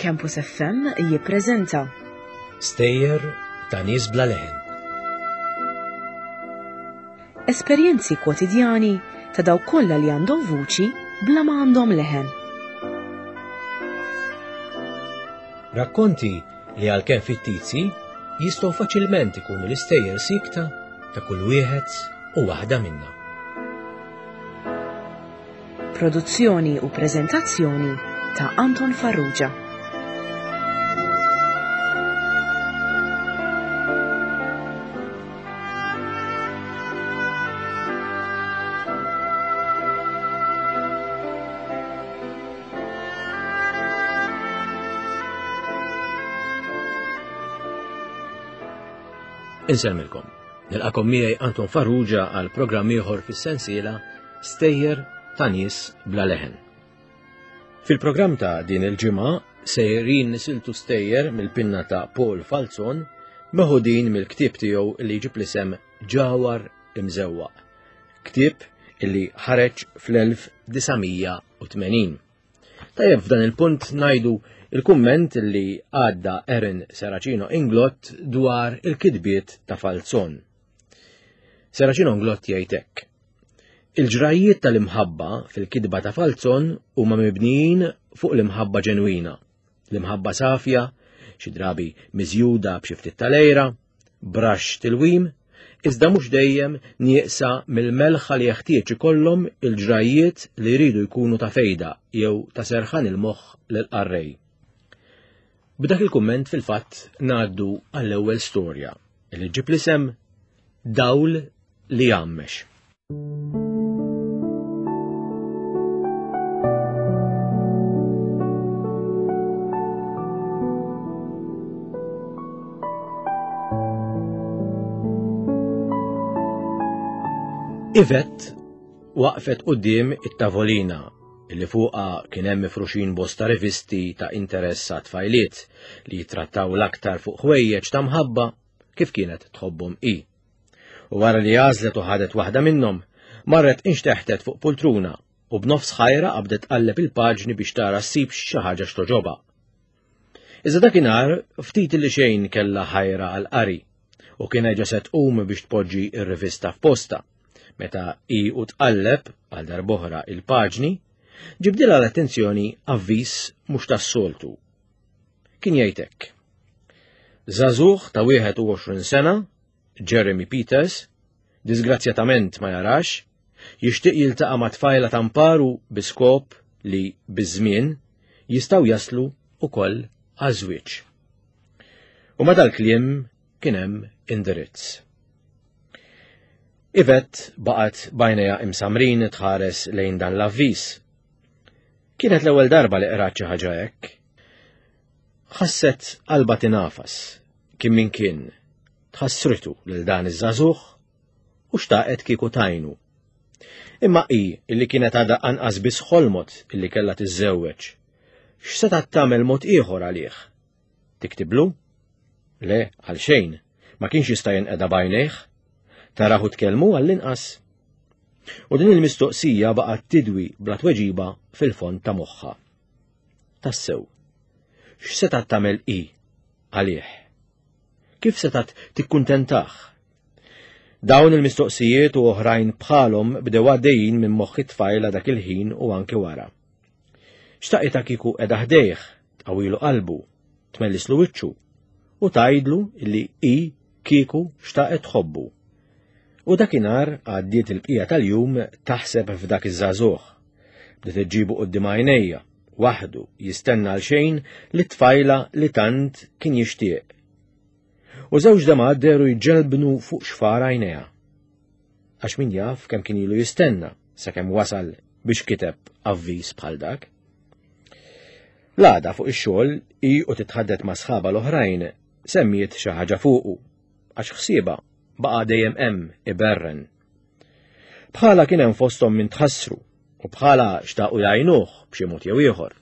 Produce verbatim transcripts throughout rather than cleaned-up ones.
Campus F M jippreżenta Stejjer ta' nies bla leħen. Esperjenzi kwotidjani ta' dawk kollha li għandhom vuċi bla ma għandhom leħen. Rakkonti li għalkemm fittizji jistgħu faċilment ikunu l-istejjer sikta ta' kull wieħed u waħda minna. Produzzjoni u preżentazzjoni ta' Anton Farrugia. Insellmilkom. Nilqakom miegħi Anton Farrugia għal programm ieħor fis-sensiela Stejjer ta' nies bla leħen. Fil-programm ta' din il-ġimgħa sejrin nisiltu stejjer mill-pinna ta' Paul Falzon meħudin mill-ktieb tiegħu li jġib l-isem Ġawhar Imżewwaq, ktieb illi ħareġ fl-elf disa' mija u tmenin. Tajjeb f'dan il-punt ngħidu il-kumment li għadda Erin Serracino Inglott dwar il-kitbiet ta' Falzon. Serracino Inglott jgħid hekk: Il-ġrajiet tal-imħabba fil-kitba ta' Falzon huma mibnijin fuq l-imħabba ġenwina, l-imħabba safja, xi drabi miżjuda b'xi ftit tal-ejra, brax tilwim, iżda mhux dejjem nieqsa mill-melħa li jeħtieġ ikollhom il-ġrajiet li jridu jkunu ta' fejda jew ta' serħan il-moħħ lill-qarrej. B'dak il-kumment fil-fatt ngħaddu għall-ewwel storja li ġib l-isem Dawl li jgħammex. Yvette waqfet quddiem it-tavolina li fuqha kien hemm mifruxin bosta rivisti ta' interess għat-tfajliet li jitrattaw l-aktar fuq ħwejjeġ ta' mħabba kif kienet tħobbhom hi. U wara li għażlet u ħadet waħda minnhom, marret inxteħtet fuq poltruna u b'nofs ħajra qabdet tqalleb il-paġni biex tara ssib xi ħaġa x'toġobha. Iżda dakinhar ftit li xejn kellha ħajra għall-qari u kien ġa se tqum biex tpoġġi r-rivista f'posta. Meta hi u tqalleb għal darb'oħra il-paġni, ġibdilha l-attenzjoni avviż mhux tas-soltu. Kien jgħid hekk: Żagħżugħ ta' wieħed u għoxrin sena, Jeremy Peters, disgrazzjatament ma jarax, jixtieq jiltaqa' ma' tfajla ta' mparu bi skop li biż-żmien jistgħu jaslu wkoll għaż-żwieġ. U ma' dal-kliem kien hemm indirizz. Yvette baqgħet b'għajnejha imsamrin tħares lejn dan l-avviż. Kienet l-ewwel darba li qrat xi ħaġa hekk. Ħasset qalbha tinafas, kien min kien, tħassritu lil dan iż-żagħżugħ u xtaqet kieku tajnu. Imma hi illi kienet għadha anqas biss ħolmot illi kellha tiżżewweġ, x'setgħet tagħmel mod ieħor għalih? Tiktiblu? Le, għal xejn, ma kienx jista' jinqeda b'għajnejh. Tarahu tkellmu għall-inqas. U din il-mistoqsija baqgħet tidwi bla tweġiba fil-fond ta' moħħha. Tassew, x'setgħet tagħmel hi għalih? Kif setgħet tikkuntentah? Dawn il-mistoqsijiet u oħrajn bħalhom bdew għaddejjin minn moħħ it-tfajla dak il-ħin u anke wara. Xtaqitha kieku qiegħda ħdejh, tqawilu qalbu, tmellislu wiċċu u tgħidlu illi hi kieku xtaqet tħobbu. U dakinhar għaddiet il-bqija tal-jum taħseb f'dak iż-żagħżugħ. Bdiet iġġibu quddiem għajnejja, waħdu jistenna għal xejn li tfajla li tant kien jixtieq. U żewġ damgħat dehru jġelbnu fuq xfar għajnejha. Għax min jaf kemm kien ilu jistenna sakemm wasal biex kiteb avviż bħal dak. L-għada fuq ix-xogħol hi u titħaddet ma' sħabha l-oħrajn semmiet xi ħaġa fuqu għax ħsiebha baqa' dejjem hemm iberren. Bħala kien hemm fosthom min tħassru u bħala xtaqu jgħinuh b'xi mod jew ieħor.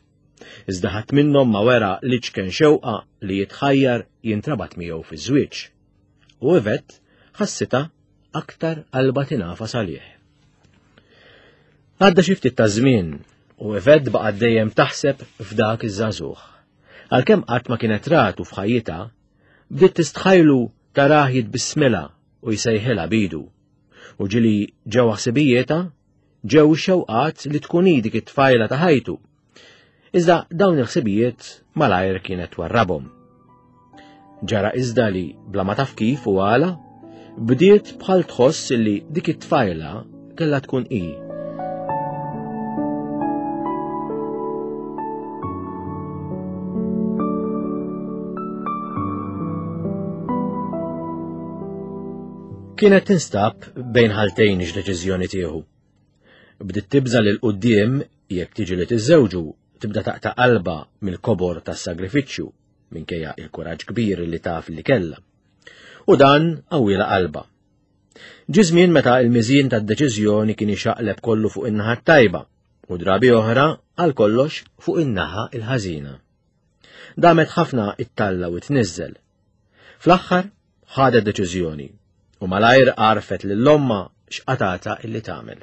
Iżda ħadd minnhom ma wera li ċken xewqa li jitħajjar jintrabat miegħu fiż-żwieġ. U Yvette ħassitha aktar qalbha tingħafas għalih. Għadda xi ftit ta' żmien u Yvette baqgħet dejjem taħseb f'dak iż-żagħżugħ. Għalkemm qatt ma kienet ratu f'ħajjitha, bdiet tistħajlu tarah jitbissmilha u jsejħilha bidu. U ġili ġew ħsibijietha, ġew xewqat li tkun hi dik it-tfajla ta' ħajtu. Iżda dawn il-ħsibijiet malajr kienet warrabhom. Ġara iżda li bla ma taf kif u għala, bdiet bħal tħoss li dik it-tfajla kellha tkun hi. Kienet tinstab bejn ħaltejn x'deċiżjoni tieħu. Bdiet tibża' lil quddiem jekk tiġi li tiżżewġu tibda taqta' qalba mill-kobor tas-sagrifiċċju minkejja il-kuraġġ kbir li taf li kellha. U dan qawwielha qalba. Ġie żmien meta l-miżien tad-deċiżjoni kien ixaqleb kollu fuq in-naħa t-tajba u drabi oħra għal kollox fuq in-naħa il-ħażina. Damet ħafna it-talla u tniżżel. Fl-aħħar ħadet deċiżjoni u malajr għarfet lil omma x'qatata illi tagħmel.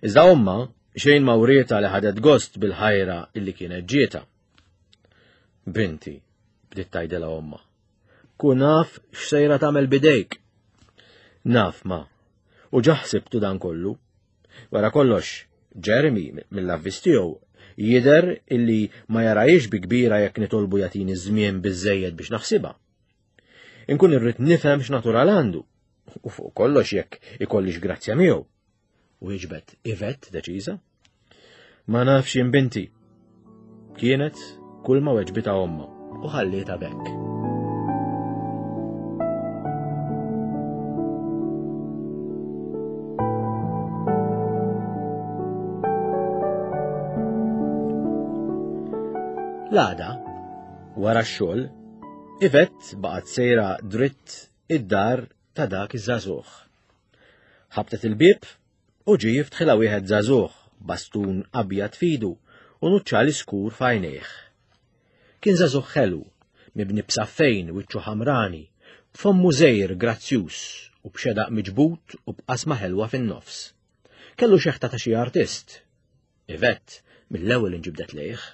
Iżda omma xejn ma wrietha li ħadet gost bil-ħajra illi kienet ġietha. Binti, bdiet tgħidilha omma, kun naf x'sejra tagħmel bidejk. Naf ma, u ġaħsibtu dan kollu. Wara kollox, Jeremy mill-avviż tiegħu jidher illi ma jarajx bi kbira jekk nitolbu jagħtini żmien biżżejjed biex naħsibha. Inkun irrid nifhem x'natural għandu, u fuq kollox jekk ikollix grazzja miegħu. U jiġbed Yvette deċiża. Ma nafx jien binti. Kienet kull ma weġbitha omma u ħallietha b'hekk. L-għada, wara x-xogħol, Yvette baqgħet sejra dritt id-dar ta' dak iż-żagħżugħ. Ħabtet il-bieb u ġie jiftħilha wieħed żagħżugħ bastun abjad fidu u nuċċali skur f'għajnejh. Kien żagħżugħ ħelu, mibni b'saffejn wiċċu ħamrani, b'fommu żgħir grazzjuż u b'xedaq miġbud u b'qasma ħelwa fin-nofs. Kellu xeħta ta' xi artist. Yvette mill-ewwel inġibdet lejh.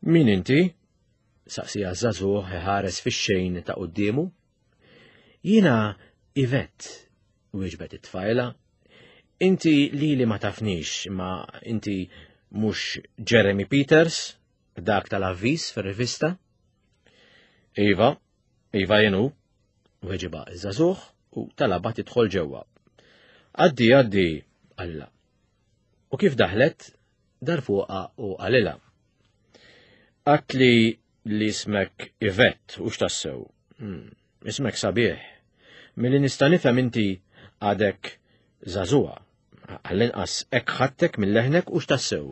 Min inti? Saqsija żagħżugħ iħares fix-xejn ta' quddiemu. Jiena Yvette, wieġbet it-tfajla. Inti lili ma tafnix, ma inti mhux Jeremy Peters, dak tal-avviż fir-rivista? Iva, iva jien hu, weġiba ż-żagħżugħ u talabha tidħol ġewwa. Għaddi, għaddi, qalilha. U kif daħlet, dar fuqha u qalilha. Għatli li ismek Yvette, u x'tassew? Hmm, ismek sabiħ. Milli nista' nifhem inti għadek żagħżugħa. Għall-inqas hekk ħadtek minn leħnek u x'tassew.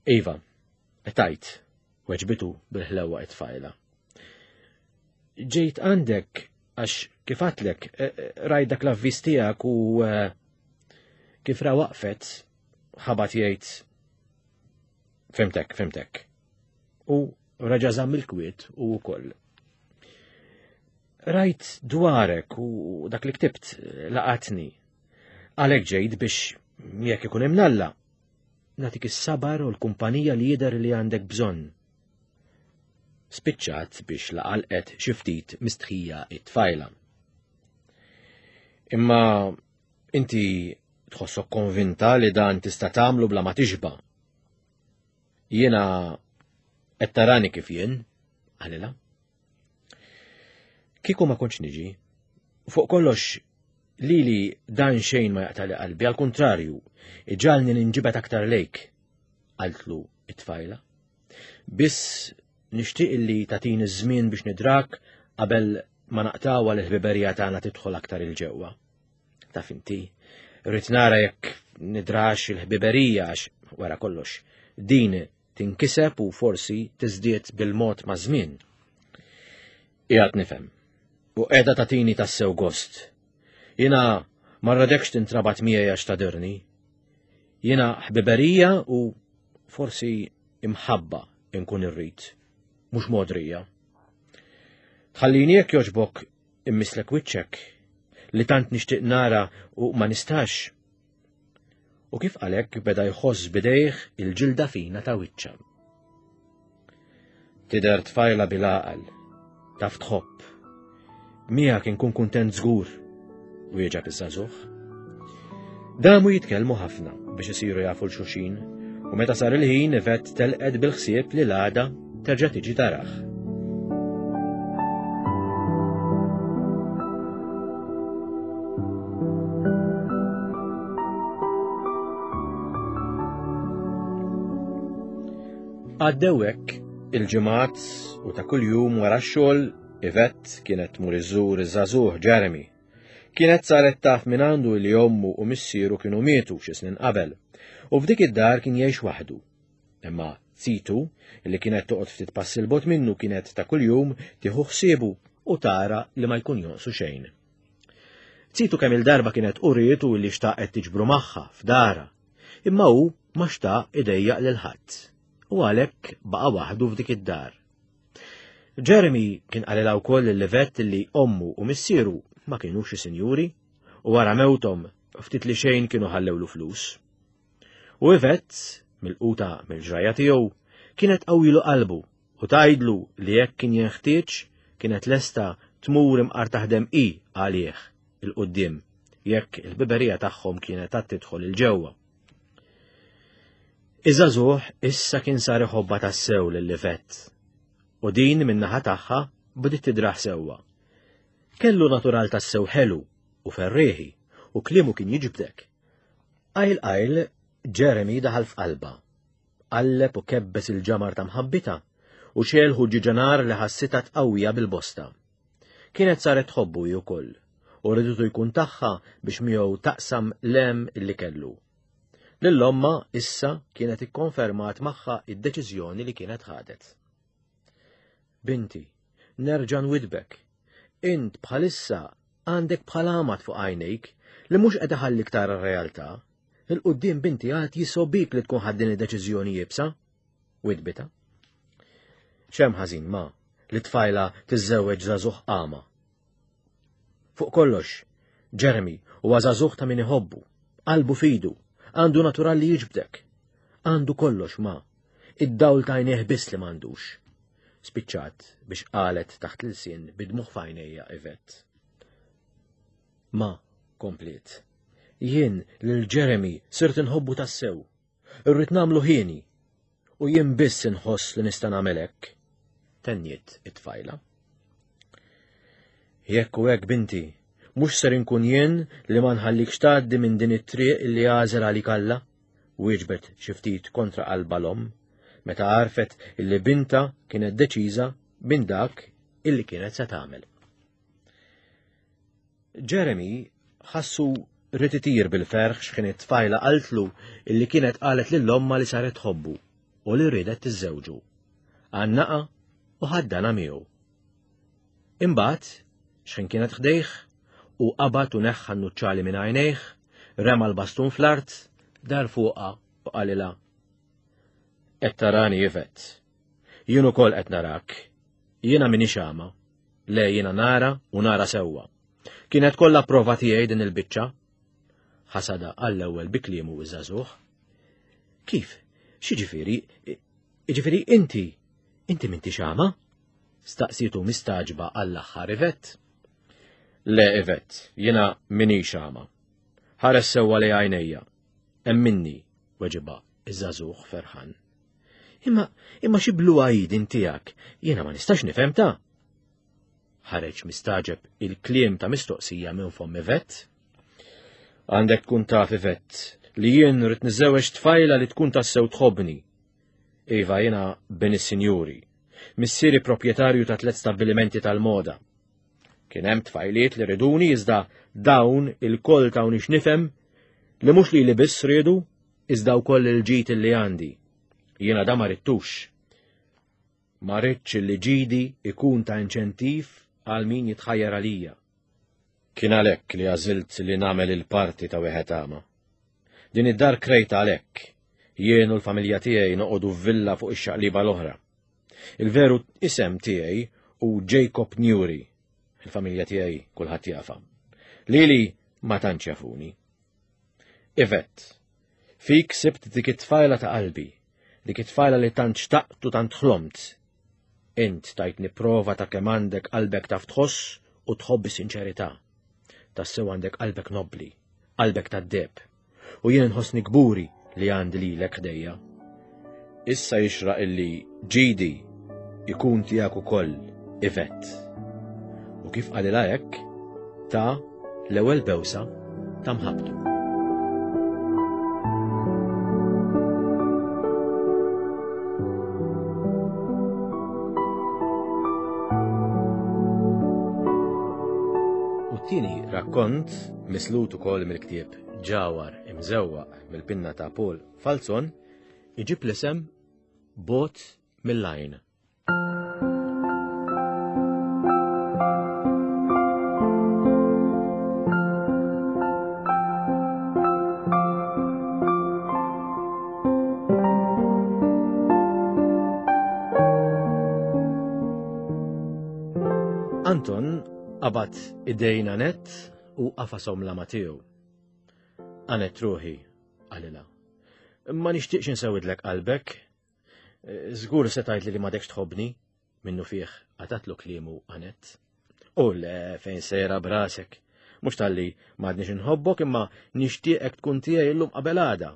Iva, tajt, weġbitu bil-ħlewwa it-tfajla. Ġejt għandek għax kif għatlek rajt dak l-avviż tiegħek u kif ra waqfet ħabat jgħid fimtek, fimtek. U raġa' żamm il-kwiet u wkoll. Rajt dwarek u dak li ktibt laqatni. Għalhekk ġejt biex jekk ikun imnalla nagħtik is-sabar u l-kumpanija li jidher li għandek bżonn. Spiċċat biex laqalqet xi ftit mistħija it-tfajla. Imma inti tħossok konvinta li dan tista' tagħmlu bla ma tixba'. Jiena qed tarani kif jien, qalilha. Kieku ma kontx niġi, fuq kollox lili dan xejn ma jaqtali qalbi, għal kontrarju, iġalni ninġibet aktar lejk, qaltlu it-tfajla. Biss nixtieq illi tagħtini żmien biex nidrak qabel ma naqtawha l-ħbiberija tagħna tidħol aktar il-ġewwa. Taf inti, rrid nara jekk nidrax il-ħbiberija għax wara kollox din tinkiseb u forsi tiżdied bil-mod ma' żmien. Qiegħed nifhem. U qiegħda tagħtini tassew gost. Jiena ma rradekx tintrabat miegħi għax tadirni. Jiena ħbiberija u forsi imħabba inkun irrid, mhux modrija. Tħallini jekk jogħġbok immislek wiċċek li tant nixtieq nara u ma nistax. U kif għalhekk beda jħoss bidejh il-ġilda fina ta' wiċċha. Tidher tfajla bil-għaqal, taf tħobb. Miegħek inkun kuntent żgur, wieġeb iż-żagħżugħ. Damu jitkellmu ħafna biex isiru jafu 'l xulxin, u meta sar il-ħin Yvette telqet bil-ħsieb li l-għada terġa' tiġi tarah. Għaddew hekk il-ġimgħat u ta' kuljum wara x-xogħol Yvette kienet tmur iżżur iż-żagħżugħ Jeremy. Kienet saret taf minn għandu li ommu u missieru kienu mietu xi snin qabel, u f'dik id-dar kien jgħix waħdu. Imma zitu, li kienet toqgħod ftit passi 'l bogħod minnu, kienet ta' kuljum tieħu ħsiebu u tara li ma jkun jonqsu xejn. Zitu kemm il-darba kienet urietu li xtaqet tiġbru magħha f'dara, imma hu ma xtaq idejjaq lil ħadd, u għalhekk baqa' waħdu f'dik id-dar. Jeremy kien qalilha wkoll lil Yvette li ommu u missieru ma kienux xi sinjuri u wara mewthom ftit li xejn kienu ħallewlu flus. U Yvette, milquta mill-ġrajja tiegħu, kienet qawwilu qalbu u tgħidlu li jekk kien jenħtieġ kienet lesta tmur imqar taħdem hi għalih il-quddiem jekk il-biberija tagħhom kienet għad tidħol il-ġewwa. Iż-żagħżugħ issa kien sar iħobbha tassew lil Yvette, u din min-naħa tagħha bdiet tidraħ sewwa. Kellu natural tassew ħelu u ferrieħi u kliemu kien jiġbdek. Qajl qajl Jeremy daħal f'qalba, qalleb u kebbes il-ġamar ta' mħabbita u xelħu ġiġanar li ħassitha tqawwija bil-bosta. Kienet saret tħobbu hi wkoll u ridutu jkun tagħha biex miegħu taqsam l-hemm illi kellu. Lil ommha issa kienet ikkonfermat magħha id-deċiżjoni li kienet ħadet. Binti, nerġa' nwidbek. Int bħalissa għandek bħal għamad fuq għajnejk li mhux qed iħallik tara r-realtà. Il-quddiem binti għad jisobik li tkun ħadd din id-deċiżjoni iebsa. Widbita. X'hemm ħażin ma li tfajla tiżżewweġ żagħżugħ qama. Fuq kollox, Jeremy huwa żagħżugħ ta' min iħobbu, qalbu fidu, għandu natural li jiġbdek. Għandu kollox ma, id-dawl ta' għajnejh biss li m'għandux. Spiċċat biex qalet taħt l-ilsien bidmuħ f'għajnejha Yvette. Ma, kompliet, jien lil Jeremy sirt inħobbu tassew, irrid nagħmlu ħieni, u jien biss inħoss li nista' nagħmel hekk, tenniet it-tfajla. Jekk u hekk binti, mhux ser inkun jien li ma nħallikx tgħaddi minn din it-triq li għażel għalik Alla, wieġbet xi ftit kontra qalba l-omm, meta għarfet illi binta kienet deċiża minn dak illi kienet se tagħmel. Jeremy ħassu rid itir bil-ferħ x'kien it-tfajla qaltlu illi kienet qalet lil ommha li saret tħobbu u li riedet tiżżewġu. Għannaqa u ħaddana miegħu. Imbagħad x'ħin kienet ħdejh u qabad u neħħa n-nuċċali minn għajnejh, rema l-bastun fl-art, dar fuqha u qalilha: Qed tarani Yvette, jien ukoll qed narak, jiena m'iniex għama, le jiena nara u nara sewwa. Kienet kollha prova tiegħi din il-biċċa. Ħasada għall-ewwel bi kliemu iż-żagħżugħ. Kif? X'jiġifieri? Jiġifieri inti, inti m'intix għama? Staqsietu mistaġba għall-aħħar Yvette. Le Yvette, jiena m'iniex għama. Ħares sewwa li għajnejja. Emminni, weġiba iż-żagħżugħ ferħan. Imma, imma xi bluha hi din tiegħek, jiena ma nistax nifhem ta'. Ħareġ mistaġeb il-kliem ta' mistoqsija minn fomm Yvette. Għandek tkun taf Yvette li jien rrid niżżewweġ tfajla li tkun tassew tħobbni. Iva, jiena bin is-sinjuri, missieri proprjetarju ta' tliet stabbilimenti tal-moda. Kien hemm tfajliet li riduni iżda dawn il-koll tawni x'nifhem li mhux li li biss riedu iżda wkoll il-ġid li għandi. Jiena da ma rittux. Ma ridtx li ġidi ikun ta' inċentiv għal min jitħajjar għalija. Kien għalhekk li għażilt li nagħmel il-parti ta' wieħed għama. Din id-dar krejta għalhekk. Jien u l-familja tiegħi noqogħdu f'villa fuq ix-xaqliba l-oħra. Il-veru isem tiegħi hu Jacob Newry. Il-familja tiegħi kulħadd jafha. Lili ma tantx jafuni. Yvette, fik sibt dik it-tfajla ta' qalbi, dik it-tfajla li tant xtaqt u tant ħlomt. Int tajtni prova ta' kemm għandek qalbek taf tħoss u tħobb bis-sinċerità. Tassew għandek qalbek nobbli, qalbek tad-deheb, u jien nħossni kburi li għandi lilek ħdejja. Issa jixraq illi ġidi ikun tiegħek ukoll, Yvette. U kif qalilha hekk, ta l-ewwel bewsa ta' mħabbtu. U t-tieni rakkont, mislut ukoll mill-ktieb Ġawhar imżewwaq mill-pinna ta' Paul Falzon, iġib l-isem Bogħod mill-Għajn. Anton qabad idejn Annette u qafasom la ma tiegħu. Annette ruħi, qalilha. Ma nixtieqx insewidlek qalbek. Żgur se tgħidli li m'għadekx tħobbni, minnu fih qatatlu kliemu Annette. U le fejn sejra brasek. Mhux talli m'għadniex inħobbok imma nixtieqek tkun tiegħi llum qabel għada.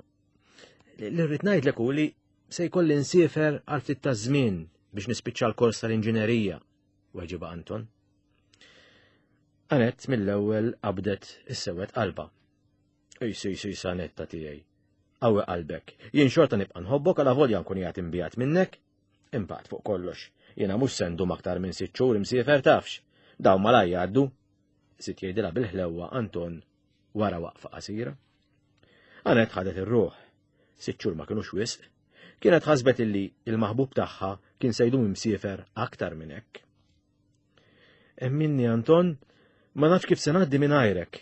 Li rrid ngħidlek hu li se jkolli nsiefer għal ftit ta' żmien biex nispiċċa l-kors tal-inġinerija, weġiba Anton. Annette mill-ewwel qabdet is-sewwed qalba. Ejsi, ejsi, ejsi, Annetta tiegħi. Qawwi qalbek. Jien xorta nibqa' nħobbok għala volja nkun qiegħed imbiegħed minnek. Imbagħad fuq kollox, jiena mhux se ndum aktar minn sitt xhur imsiefer tafx. Dawn malaj jgħaddu. Sit jgħidilha bil-ħlewwa Anton wara waqfa qasira. Annette ħadet ir-ruħ. Sitt xhur ma kinux wisq. Kienet ħasbet illi il-maħbub tagħha kien se jdum imsiefer aktar minn hekk. Emminni Anton, ma nafx kif se ngħaddi minn għajrek,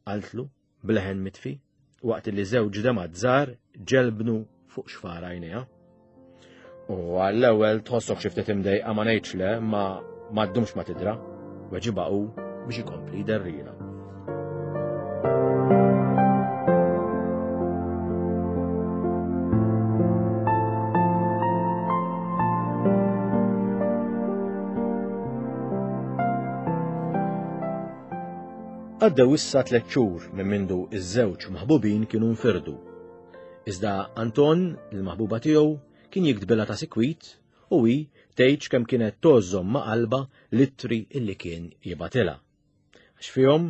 qaltlu bleħen mitfi, waqt li żewġ demgħat żgħar ġelbnu fuq xfar għajnejha. U għall-ewwel tħossok xi ftit imdejqa ma ngħidx le, ma ma ddumx ma tidra, weġibha hu biex ikompli jderrila. Għaddew issa tliet xhur minn mindu iż-żewġ maħbubin kienu nfirdu. Iżda Anton, il-maħbuba tiegħu, kien jiktbilha ta' sikwit u hi tgħidx kemm kienet tożżom ma' qalba l-ittri illi kien jibatilha. Għax fihom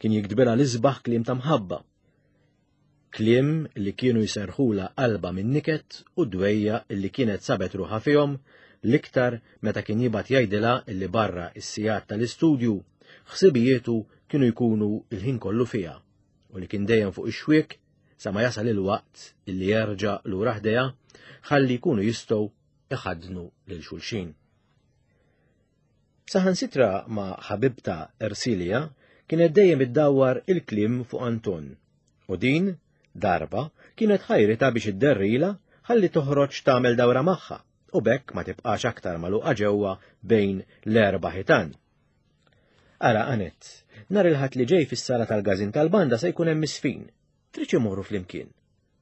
kien jiktbilha l-isbaħ kliem ta' mħabba. Kliem li kienu jserħula qalba minn niket u dwejja illi kienet sabet ruħha fihom l-iktar meta kien jibgħat jgħidilha illi barra is-sigħat tal-istudju ħsibijietu kienu jkunu il-ħin kollu fiha u li kien dejjem fuq ix-xwiek sa ma jasal il-waqt illi jerġa' lura ħdejha ħalli jkunu jistgħu iħaddnu lil xulxin. Saħansitra ma' ħabibta Ersilia kienet dejjem iddawwar il-kliem fuq Anton u din darba kienet ħajrita biex idderrila ħalli toħroġ tagħmel dawra magħha u bekk ma tibqax aktar magħluqa ġewwa bejn l-erba' ħitan. Ara Annette, nhar il-Ħadd li ġej fis-sala tal-Każin tal-Banda se jkun hemm misfin. Trid imorru flimkien,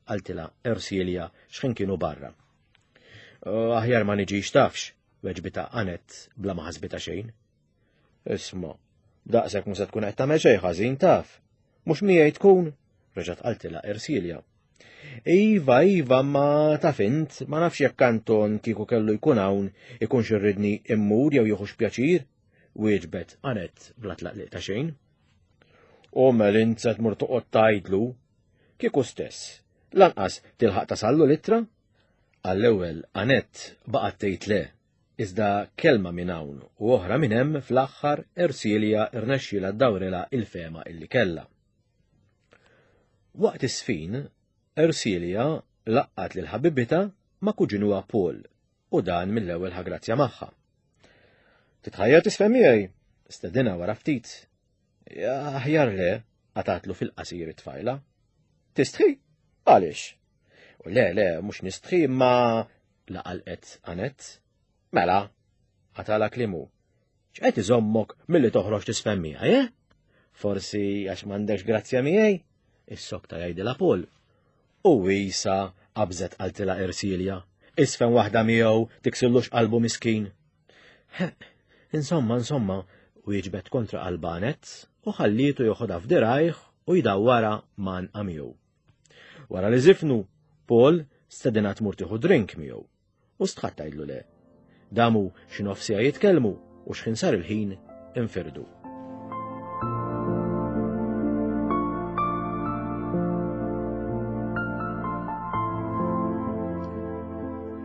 qaltilha Ersilia x'ħin kienu barra. Aħjar ma niġix tafx, weġbita Annette bla ma ħasbita xejn. Isma', daqshekk mhux se tkun qed tagħmel xejn ħażin taf. Mhux miegħi tkun, reġgħet qaltilha Ersilia. Iva, iva, ma taf int, ma nafx jekk Anton kieku kellu jkun hawn ikunx irridni immur jew jieħux pjaċir, wieġbet Annette bla tlaqliq ta' xejn. U mel int se tmur toqgħod tgħidlu, kieku stess, lanqas tilħaq tasallu l-ittra? Għall-ewwel Annette baqgħet tgħid le, iżda kelma minn hawn u oħra minn hemm fl-aħħar Ersilia rnexxielha ddawrilha il-fehma illi kellha. Waqt is-sfin, Ersilia laqqat lil ħabibitha ma' kuġinuha Paul u dan mill-ewwel ħa grazzja magħha. Titħajjar tisfhem miegħi, stedinha wara ftit. Aħjar le, qatatlu fil-qasir it-tfajla. Tistħi? Għaliex? U le, le, mhux nistħi, ma laqalqet Annette. Mela, qatala klimu. X'qed iżommok milli toħroġ tisfhem miegħi, eh? Forsi għax m'għandekx grazzja miegħi? Is-sokta jgħidilha Paul. U isa qabżet qaltilha Ersilia. Isfen waħda miegħu tiksillux qalbu miskin. Insomma, insomma, wieġbet kontra qalbha Anett u ħallietu joħodha f'dirajh u jdawwarha m'għanqha miegħu. Wara li żifnu, Paul stedinha tmur tieħu drink miegħu u stħat tgħidlu le. Damu xi nofs siegħa jitkellmu u x'ħin sar il-ħin infirdu.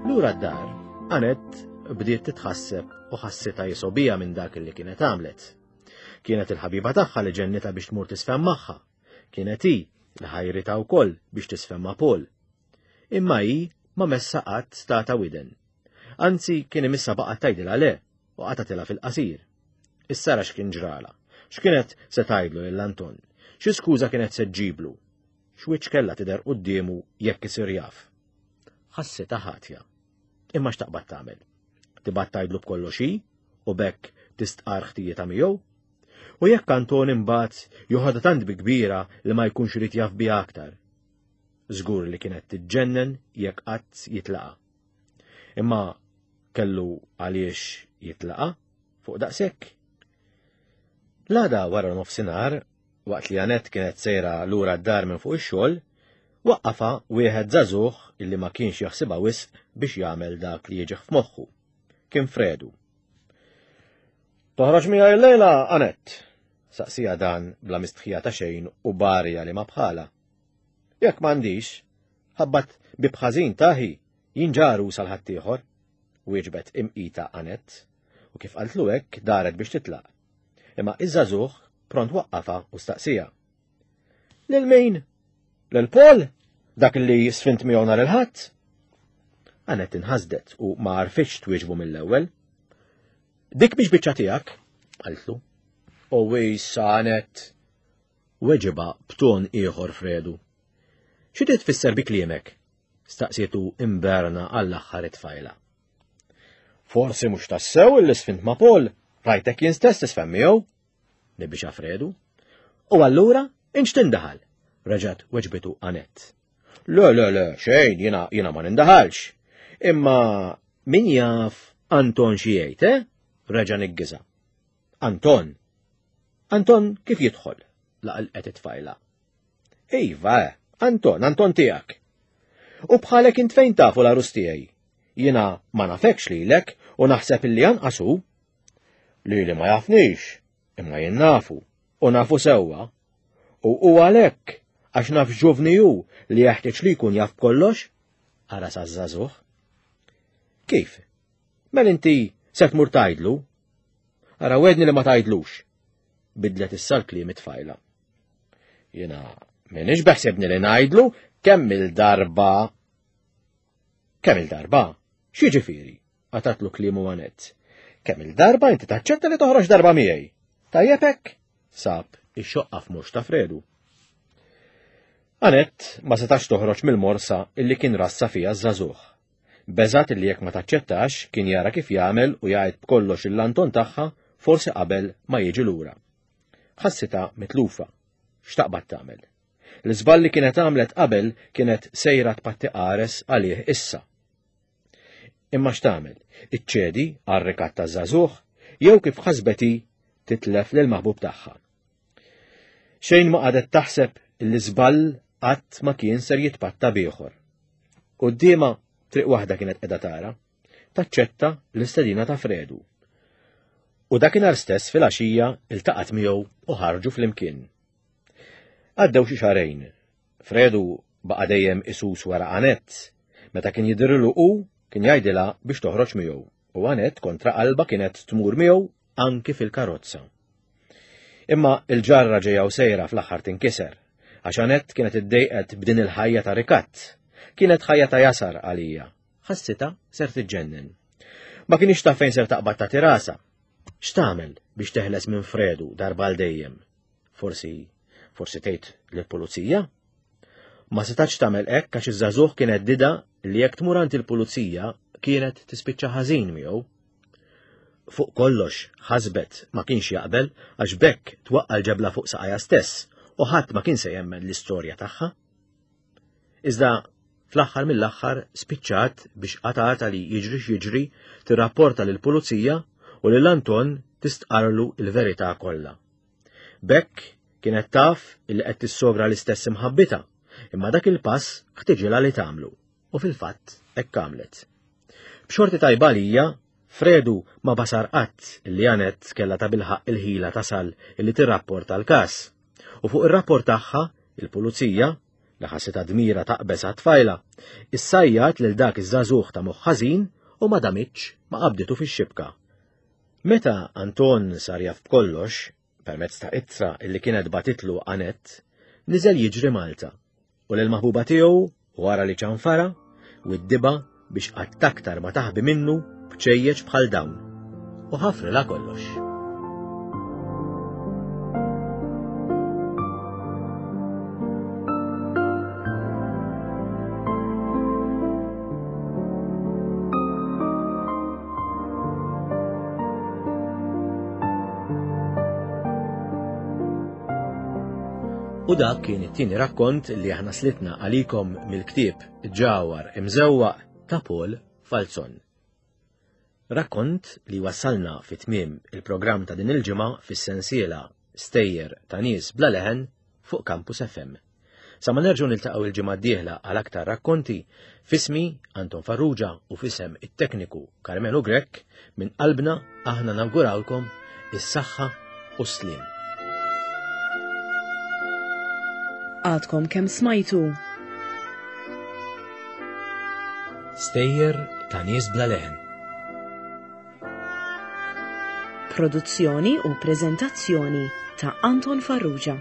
Lura d-dar, Anett bdiet titħasseb u ħassitha jisgħobha minn dak li kienet għamlet. Kienet il-ħabiba tagħha li ġennitha biex tmur tisfem magħha. Kienet hi li ħajritha wkoll biex tisfem ma' Paul. Imma hi ma messa qatt stata widen. Anzi kien imissa baqgħet tgħidilha le u qatatilha fil-qasir. Issa ra x'kien ġrala. X'kienet se tgħidlu lil Anton? Xi skuża kienet se ġġiblu? X'wiċċ kellha tidher quddiemu jekk isir jaf? Ħassitha ħatja. Imma x'taqbad tagħmel? Tibgħat tgħidlu b'kollox hi u b'hekk tistqar ħtijietha miegħu? U jekk Anton imbagħad joħodha tant bi kbira li ma jkunx irid jaf biha aktar. Żgur li kienet tiġġennen jekk qatt jitlaqa. Imma kellu għaliex jitlaqa fuq daqshekk. L-għada wara nofsinhar, waqt li Anett kienet sejra lura d-dar minn fuq ix-xogħol, waqqafha wieħed żagħżugħ illi ma kienx jaħsibha wisq biex jagħmel dak li jiġih f'moħħu. Kien Fredu. Toħroġ miegħi llejla, Anett? Saqsija dan bla mistħija ta' xejn u barja li ma bħala. Jekk m'għandix, ħabbat bi bħażin taħi, jien ġaru sal-ħaddieħor, wieġbet imqita Anett, u kif qaltlu hekk daret biex titlaq. Imma iż-żagħżugħ pront waqqafha u staqsija. Lil min? Lil Paul? Dak li sfint miegħu nhar il-Ħadd? Anett inħasdet u ma għarfitx twieġbu mill-ewwel. Dik mhix biċċa tiegħek, qaltlu. U issa Anett, weġiba b'ton ieħor Fredu. Xi trid tfisser bi kliemek? Staqsietu imberna għall-aħħar it-tfajla. Forsi mhux tassew illi sfint ma' Paul, rajtek jien stess tisfem miegħu? Nibbixa Fredu. U allura inx tindaħal? Reġgħet weġbitu Anett. Le, le, le, xejn, jiena jiena ma nindaħalx. Imma min jaf Anton xi jgħid, eh? Reġa' niggiża. Anton. Anton kif jidħol? Laqalqet it-tfajla. Iva, eh, Anton, Anton tiegħek. U bħalek int fejn tafu l-għarus tiegħi? Jiena ma nafekx lilek u naħseb illi anqas hu. Lili ma jafnix, imma jien nafu, u nafu sewwa. U hu għalhekk għax naf ġuvni hu li jeħtieġ li jkun jaf b'kollox? Ara sa żagħżugħ. Kif? Mela inti se tmur tgħidlu? Ara wedni li ma tgħidlux. Bidlet issa l-kliem it-tfajla. Jiena m'iniex beħsebni li ngħidlu kemm il-darba. Kemm il-darba? X'jiġifieri? Qatatlu kliemu Anett. Kemm il-darba inti taċċetta li toħroġ darba miegħi? Tajjeb hekk? Sab ix-xoqqa f'mhux ta' Fredu. Anett ma setax toħroġ mill-morsa illi kien rassa fiha ż-żagħżugħ. Beżat illi jekk ma taċċettax kien jara kif jagħmel u jgħid b'kollox il-Anton tagħha forsi qabel ma jiġi lura. Ħassitha mitlufa. X'taqbad tagħmel? L-iżball li kienet għamlet qabel kienet sejra tpatti qares għalih issa. Imma x'tagħmel? Iċċedi għar-rikatt taż-żagħżugħ jew kif ħasbet hi titlef lil maħbub tagħha. Xejn ma qagħdet taħseb li żball qatt ma kien ser jitpatta b'ieħor. Quddiemha triq waħda kienet qiegħda tara, taċċetta l-istedina ta' Fredu. U dakinhar stess fil-għaxija iltaqgħet miegħu u ħarġu flimkien. Għaddew xi xahrejn. Fredu baqa' dejjem isus wara Anett. Meta kien jidhirlu hu kien jgħidilha biex toħroġ miegħu u Anett kontra qalba kienet tmur miegħu anki fil-karozza. Imma il-ġarra ġejja u sejra fl-aħħar tinkiser, għax Anett kienet iddejqet b'din il-ħajja ta' rikatt. Kienet ħajja ta' jasar għalija. Ħassitha ser tiġġennen. Ma kienx taf fejn ser taqbad tagħti rasha. X'tagħmel biex teħles minn Fredu darba għal dejjem? Forsi, forsi tgħid lill-pulizija? Ma setax tagħmel hekk għax iż-żagħżugħ kien għeddidha li jekk tmur għand il-pulizija kienet tispiċċa ħażin miegħu. Fuq kollox ħasbet ma kienx jaqbel għax b'hekk twaqqa' l-ġebla fuq saqajha stess u ħadd ma kien se jemmen l-istorja tagħha. Iżda fl-aħħar mill-aħħar spiċċat biex qatgħatha li jiġri x'jiġri tirrapporta lill-pulizija u lil Anton tistqarlu il-verità kollha. B'hekk kienet taf illi qed tissogra l-istess imħabbitha, imma dak il-pass ħtiġilha li tagħmlu u fil-fatt hekk għamlet. B'xorti tajba għalija, Fredu ma basar qatt illi Annette kellha tabilħaqq il-ħila tasal illi tirrapporta l-każ. U fuq ir-rapport tagħha, il-pulizija, li ħassitha dmira taqbeż għat-tfajla, issajjat lil dak iż-żagħżugħ ta' moħħ ħażin u ma damitx ma qabditu fix-xibka. Meta Anton sar jaf b'kollox, permezz ta' ittra illi kienet bagħtitlu Annette, niżel jiġri Malta u lil maħbuba tiegħu wara li ċanfara widdibha biex qatt aktar ma taħbi minnu bċejjeċ bħal dawn u ħafrilha kollox. U dak kien it-tieni rakkont li aħna slitna għalikom mill-ktieb Ġawhar Imżewwaq ta' Paul Falzon. Rakkont li wassalna fi tmiem il-programm ta' din il-ġimgħa fis-sensiela Stejjer ta' nies bla leħen fuq Campus F M. Sa ma nerġgħu niltaqgħu il-ġimgħa d-dieħla għal aktar rakkonti, f'ismi Anton Farrugia u f'isem it-tekniku Carmelo Grech, minn qalbna aħna nawgurawlkom is-saħħa u s-sliem. Għadkom kemm smajtu Stejjer ta' nies bla leħen. Produzzjoni u preżentazzjoni ta' Anton Farrugia.